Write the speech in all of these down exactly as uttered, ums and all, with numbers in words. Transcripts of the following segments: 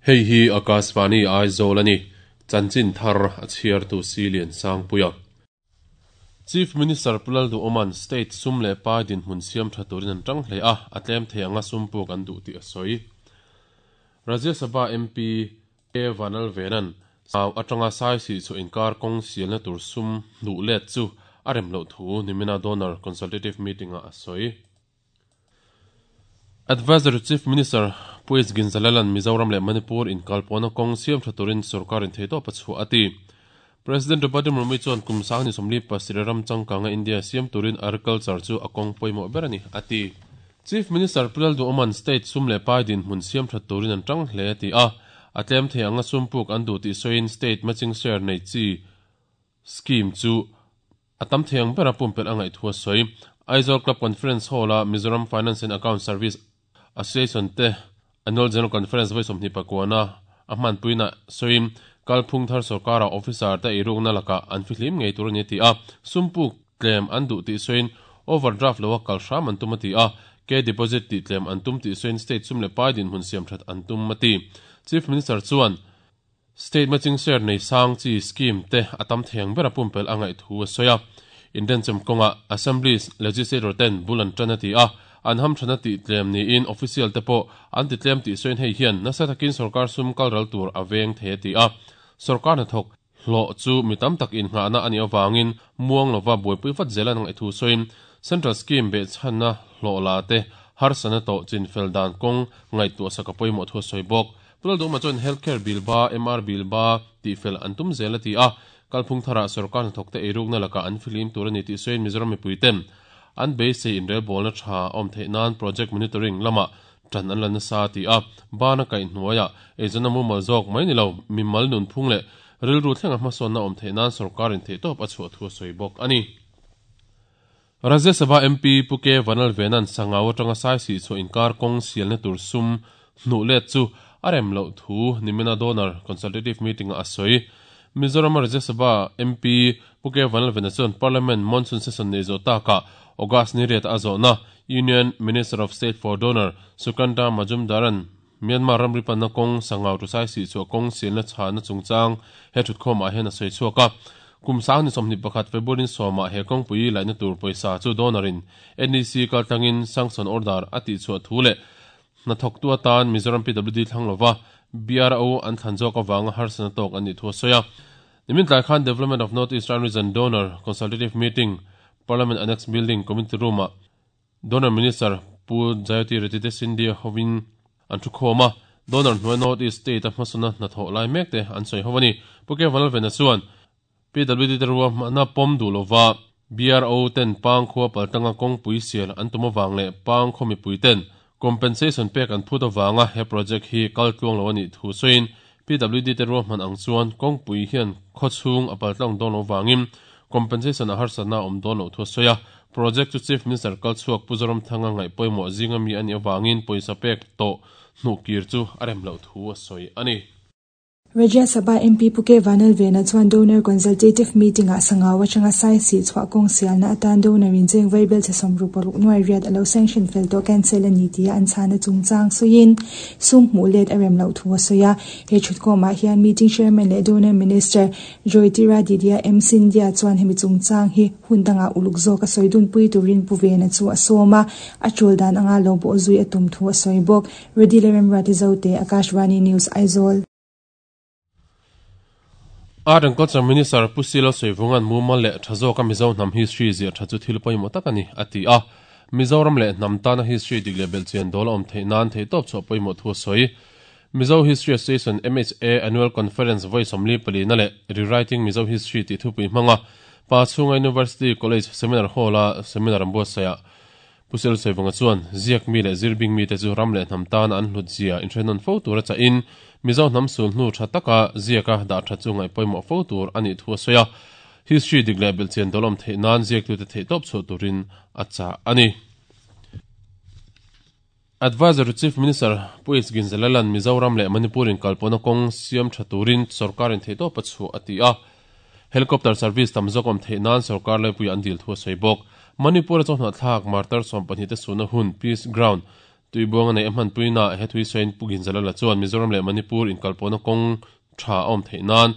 Hei hi Akashvani Aizawl ani chanchin thar a chhiar tu Silian Sangpuia. Chief Minister Pulal du Oman State sum le pa din hmun siam tha turin an tang hle a atlem thei anga sum puk an du ti a soi. Rajya Sabha M P A Vanal Venan sau atanga sai si chu inkar kong sial na tur sum nu let chu arem lo thu nimina donor consultative meeting a soi. Advisor Chief Minister Puis Ginzalalan Mizoram le Manipur in kalpona kong siam tha turin sarkar in theito pachu ati. President Draupadi Murmu chuan kum sang ni somli pasiraram changkanga India siam turin agriculture chu akong poimo berani ati. Chief Minister Pulal du Oman State sum le pai din hmun siam tha turin an tang hle ti a atlem thei anga sumpuk an du ti soin state matching share nei chi scheme chu atam theiang bera pumpel angai thua soi. Aizawl Club Conference Hall a Mizoram Finance and Account Service Association te Annual General Conference voi somni pakwana ahman puina soim kalphung thar sarkara officer te irungna laka an fihlim ngei tur ni ti a sumpuk claim an du ti soin overdraft lowa kalhram an tumati a ke deposit ti claim an tum ti soin state sum le pai din hun siam that an tum mati. Chief Minister chuan state matching share nei sang chi scheme te atam theng bera pumpel angai thu soya. Indian chem konga assemblies legislator ten bulan tanati a an ham thana ti tlem ni in official te po an ti tlem ti soin hei hian nasa takin sarkar sum kalral tur aweng the ti a sarkar na thok hlo chu mitam tak in nga na ani awangin muang lova boipui fat zelan ang ethu soin central scheme be channa hlo la te har sana to chin fel dan kong ngai tu saka poimo thu soi bok. Pulal du ma chon healthcare bill ba M R bill ba ti fel antum zela ti a kalphung thara sarkar na thok te eruk na laka an filim tur ani ti soin Mizoram mi puitem an be se in rel bol na tha om the nan project monitoring lama tan an lan sa ti a bana kai hnuaya ejana mu mal jok mai ni lo mi mal nun phung le ril ru thlenga hmason na om the nan sarkar in the top a chu thu soi bok ani. Rajya Sabha M P Puke Vanal Venan sangaw atanga sai si chu inkar kong sial na tur sum nu let chu arem lo thu nimina donor consultative meeting a soi. Mizoram Rajya Sabha M P Puke Vanal Venan chuan Parliament monsoon session nei zo ta ka August ni ret azona Union Minister of State for Donor Sukanta Majumdaran Myanmar ramri panna kong sangaw tu sai si chu kong sial na cha na chungchang he thut khom a hen a soi chuaka kum sang ni somni pakhat February soma he kong pui lai na tur poisa chu donorin N E C kaltangin sanction order ati chu thule na thok tu atan Mizoram P W D thanglova B R O an thanjok awanga harsana tok ani thu soya. Nimin tlai khan Development of North Eastern Region Donor Consultative Meeting Parliament Annex Building Community Room Donor Minister Pu Jayati Retite Scindia hovin an thu khoma donor hnuai North East State a hmasuna na tho lai mek te an soi howani. Puke Vanal Vena chuan P W D terwa na pom du lova B R O ten pang khua paltanga kong pui sial an tuma wang le pang khomi pui ten compensation pek an phuta wanga he project hi kaltluang lo ani thu soin P W D terwa man ang chuan kong pui hian khochhung a paltlang don lo wangin compensation a harsana om don lo thu soya. Project chu Chief Minister kalchuak Puzoram thanga ngai poimo zinga mi ani awangin poisa pek to hnu kir chu arem lo thu a soi ani. Rajya Sabha M P Puke Vanal Vena chuan donor consultative meeting a sangaw atanga sai si chwa kong sial na atan donor in cheng vaibel che somru paruk nuai riat alo sanction fel to cancel ani tia an chana chungchang soin sum mu let arem lo thu soya. He chut ko ma hian meeting chairman le donor minister Jyotiraditya M Scindia chuan hemi chungchang hi hundanga uluk zo ka soidun pui turin pu Vena chu asoma achul dan anga lo bo zui atum thu soi bok. Ready lerem ratizote Akashvani News Aizawl. Art and Culture Minister Pusilo Soivungan mumal le thazo ka Mizo nam history zia thachu thil poimo takani ati a Mizoram le namtana history digle belchian dol om thei nan thei top cho poimo thu soi. Mizo History Association M H A Annual Conference voi somli pali na le Rewriting Mizo History ti thu pui manga pa chunga University College Seminar Hall a seminar ambo saya Pusilo Soivunga chuan ziak mi le zirbing mi te chu ram le namtana an hlut zia intrenon fo tura cha in Mizo nam sul nu thataka ziaka da tha chungai poimo fo tur ani thu soya history digle belchian dolom the nan ziak tu te the top cho turin acha ani. Advisor Chief Minister Puis Ginzalalan Mizoram le Manipur in kalpona kong siam thaturin sarkar in theito pachu ati a helicopter service tamzokom the nan sarkar le pui andil thu soibok Manipur chona thak martar som pani te suna hun peace ground Tuibuang nei a hman puina he thui soin pugin zalala chuan Mizoram leh Manipur in kalpona kawng tha awm theih nan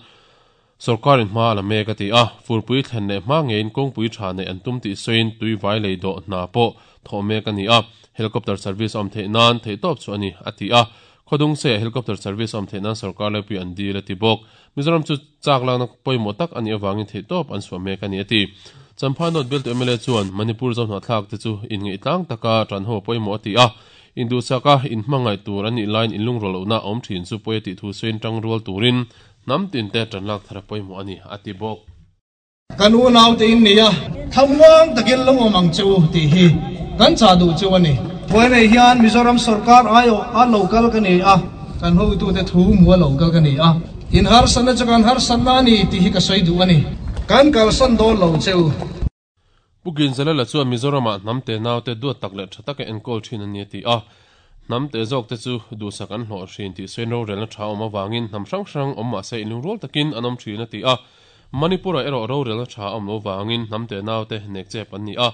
sarkarin hma la mek a ti a furpui thlen leh hma ngein kawngpui tha nei an tum tih soin tuivai lei dawh hna pawh thawh mek ani a helicopter service awm theih nan theih tawp chu ani a ti a khodung se helicopter service awm theih nan sarkar lepui an dil a ti bawk Mizoram chu chak lang na pawimawh tak ani awangin theih tawp an suah mek ani a ti Champha North bial tu M L A chuan Manipur zo hna thlak te chu in ngei tlang taka tran ho pawimawh a ti a indu saka in hmangai tur ani line in lungrol na awm thin chu pawih ti thu soin tang rual turin nam tin te tran lak thara pawimawh ani a ti bawk kan u nau te in nia thamwang takin lo awm ang chu ti hi kan cha du chu ani poi nei hian Mizoram sarkar ayo a local ka ni a kan ho tu te thu mu local ka ni a in har san na chuan har san na ni ti hi ka soi du ani kan kal san do lo cheu Pukin zalala chuan Mizorama namte naute duat tak leh tha taka enkawl thin ani ti a namte zawk te chu duhsak an hlawh hrin tih sawi ro relna tha awm awangin hnam hrang hrang awm mahse inlungrual takin an awm thin a ti a Manipur a erawh ro relna tha awm lo wangin namte naute nek chep an ni a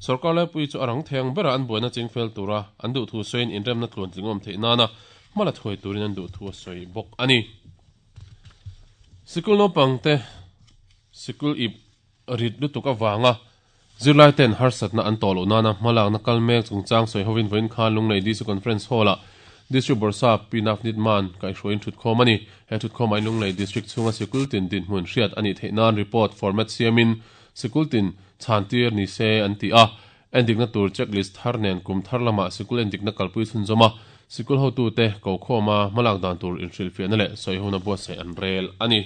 sarkar lepui chu a rang theng bera an buaina chingfel tura an duh thu sawiin inremna tluan tling awm theih nana hmala thuai turin an duh thu a sawi bawk ani sikul naupang te sikul ip rit lutuk awanga zirlai ten harsatna an tawh loh nana hmalak na kal mek chungchang sawi hovin vawiin khan Lunglei D C Conference Hall-ah District Borsa Pinaf Nitman kaihhruaiin thutkhawm ani he thutkhawm ah Lunglei District chhunga sikul tin din hmun hriat ani theih nan report format siamin sikul tin chhantir ni se an ti a endikna tur checklist thar nen kum thar lama sikul endikna kalpui chhunzawma sikul hotu te ko khawma hmalak dan tur inhrilhfiahna leh sawi hona buatsaih an rel ani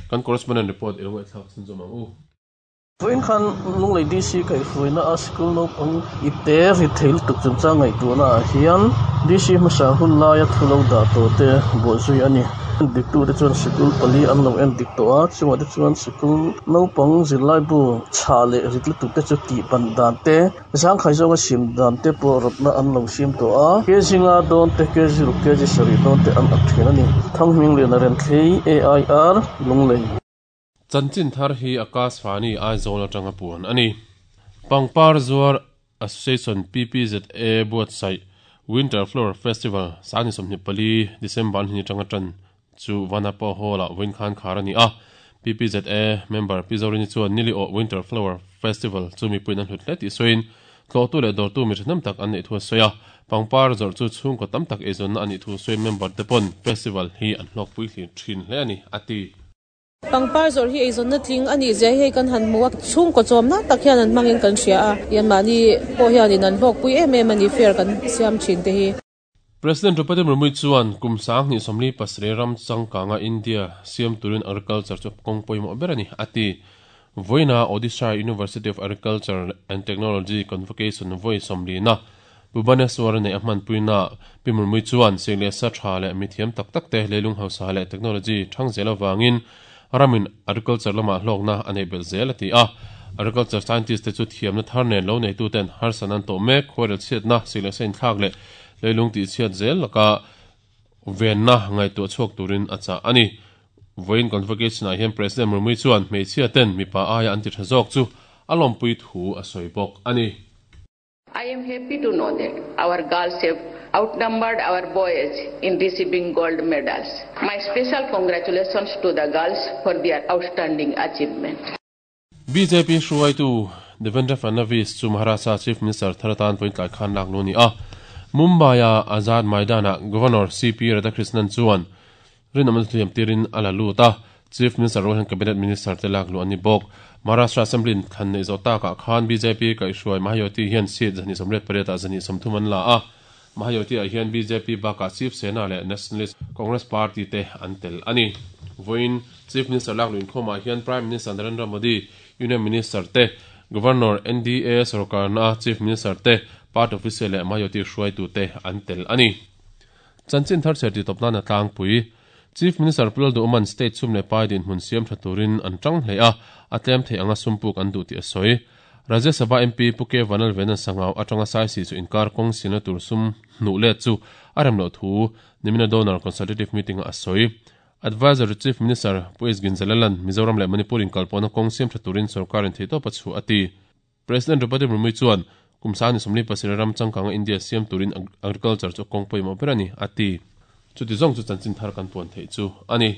kan correspondent report i lungai thlak chhunzawm ang u Vawiin khan Lunglei D C kaihhruaina a sikul naupang ipte ri theil tuk chungchang ngaihtuahna ah hian D C hmasa hun laia thu lo dah tawh te buahzui ani diktu te chuan sikul pali an lo en dik tawh a chungah te chuan sikul naupang zirlai bu chha leh rit lutuk te chu tih ban dan te zangkhai zawnga sim dan te pawh rawtna an lo sim tawh a kg nga dawn te kg ruk kg sarih dawn te an ak thin ani Thanghming lian a ren thlei A I R Lunglei Chanchin thar hi Akash Fani Aizawl atanga puan ani Pangpar Zuar Association P P Z A buatsaih Winter Flower Festival sani sawmhnih pali December ni tanga tan chu Vanapa Hall-ah vawiin khan khar ani a P P Z A member Pi Zorini chuan nili aw Winter Flower Festival chu mipuiin an hlut hle tih sawiin tlawhtu leh dawrtu mi ṭhahnem tak an neih thu a sawi a pangpar zawrh chu chhungkaw tam tak eizawnna anih thu sawiin member te pawn festival hi an hlawkpui hlir thin hle ani a ti Pangpar zawrh hi eizawnna tling ani zia hei kan han hmu a chhungkaw chawmna tak hian an hmangin kan hria a yanmahni pawh hianin an hlawkpui em em ani fair kan siam thin te hi President Draupadi Murmu chuan kum sang ni somli pasre ram changkanga India siam turin agriculture chu kawng pawimawh ber ani a ti Voina Odisha University of Agriculture and Technology Convocation voi somli na Bhubaneswar nei a hman puina Pi Murmu chuan sengle sa tha leh mithiam tak tak te leilung hausa leh technology thang zel awangin ramin agriculture lama hlawkna anei bel zel a ti a agriculture scientist te chu thiamna thar nen lo nei tu ten harsan an tawh mek khawrel chhiatna sikle sein thlak leh leilung tih chhiat zel laka venna ngaihtuah chhuak turin a chah ani vawiin convocation ah hian President Murmu chuan hmeichhia ten mipa aia an ti tha zawk chu a lawmpui thu a sawi bawk ani I am happy to know that our girls have outnumbered our boys in receiving gold medals. My special congratulations to the girls for their outstanding achievement. B J P hruaitu Devendra Fadnavis chu Maharashtra Chief Minister Tharatan vawiin tlai khan lak lu ni a Mumbai a Azad Maidana Governor C P Radhakrishnan chuan rinawm thiam tirin a la lut a Chief Minister Rohan Cabinet Minister te lak lu ani bawk Maharashtra Assembly khan nei zo taka khan B J P kaihhruai Mahayuti hian seat zani sawmriat pariat ah zani sawmthum an la a Mahayuti ah hian B J P bakah Chief Sena leh Nationalist Congress Party te an tel ani vawiin Chief Minister lak luin khawmah hian Prime Minister Narendra Modi Union Minister te Governor N D A sarkar na Chief Minister te Party official leh Mahayuti hruaitu te an tel ani Chanchin thar cher ti tawpna na tlangpui Chief Minister Pulal Duman State sum leh pai din hmun siam tha turin an tang hle a a tlem thei anga sumpuk an duh tih a sawi Rajya Sabha M P Puke Vanal Venan Sangau atanga sai si chu inkar kawng sina tur sum hnuh let chu a rem loh thu nimina donor consultative meeting a sawi Advisor Chief Minister Pu S Ginzalalan Mizoram leh Manipur in kalpawna kawng siam tha turin sarkarin theih tawp a chu a ti President Draupadi Murmu chuan Kum sang hnih sawmli pasarih ram changkanga India siam turin agriculture chu kawng pawimawh ber a ni, a ti. Chuti zawng chu chanchin thar kan puan theih chu a ni.